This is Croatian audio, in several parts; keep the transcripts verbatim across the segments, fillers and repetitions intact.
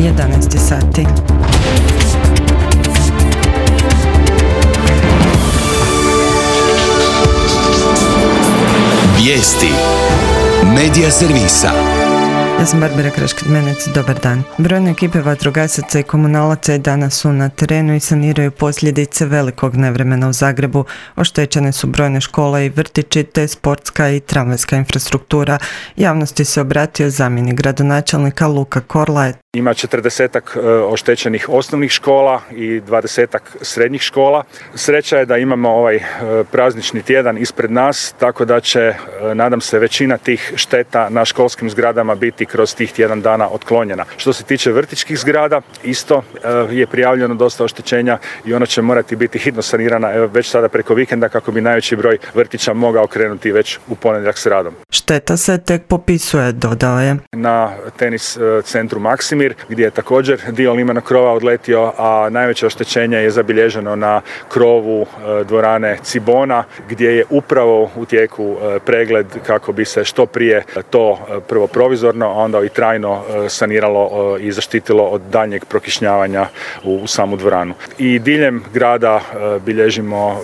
jedanaest sati. Vijesti Medija servisa. Ja sam Barbara Kraškid-Menec, dobar dan. Brojne ekipe vatrogasaca i komunalaca i danas su na terenu i saniraju posljedice velikog nevremena u Zagrebu. Oštećene su brojne škole i vrtići te sportska i tramvajska infrastruktura. Javnosti se obratio zamjenik gradonačelnika Luka Korlaje. Ima četrdesetak oštećenih osnovnih škola i dvadesetak srednjih škola. Sreća je da imamo ovaj praznični tjedan ispred nas, tako da će, nadam se, većina tih šteta na školskim zgradama biti kroz tih tjedan dana otklonjena. Što se tiče vrtićkih zgrada, isto je prijavljeno dosta oštećenja i ona će morati biti hitno sanirana evo, već sada preko vikenda kako bi najveći broj vrtića mogao krenuti već u ponedjeljak s radom. Šteta se tek popisuje, dodao je. Na tenis centru Maksimir, gdje je također dio limenog krova odletio, a najveće oštećenje je zabilježeno na krovu dvorane Cibona, gdje je upravo u tijeku pregled kako bi se što prije to prvo provizorno, a onda i trajno saniralo i zaštitilo od daljnjeg prokišnjavanja u samu dvoranu. I diljem grada bilježimo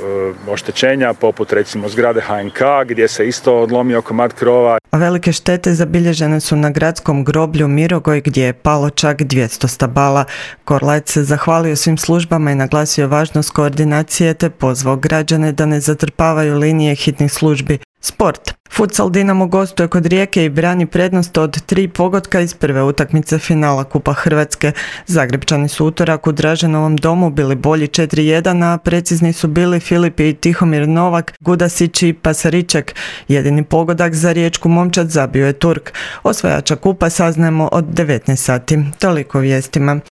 oštećenja, poput recimo zgrade H N K, gdje se isto odlomio komad krova. A velike štete zabilježene su na gradskom groblju Mirogoj, gdje je palo čak dvjesto stabala. Korlac se zahvalio svim službama i naglasio važnost koordinacije te pozvao građane da ne zatrpavaju linije hitnih službi. Sport. Futsal Dinamo gostuje kod Rijeke i brani prednost od tri pogotka iz prve utakmice finala Kupa Hrvatske. Zagrebčani su utorak u Draženovom domu bili bolji četiri jedan, a precizni su bili Filip i Tihomir Novak, Gudasić i Pasariček. Jedini pogodak za riječku momčad zabio je Turk. Osvajača kupa saznajemo od devetnaest sati. Toliko vijestima.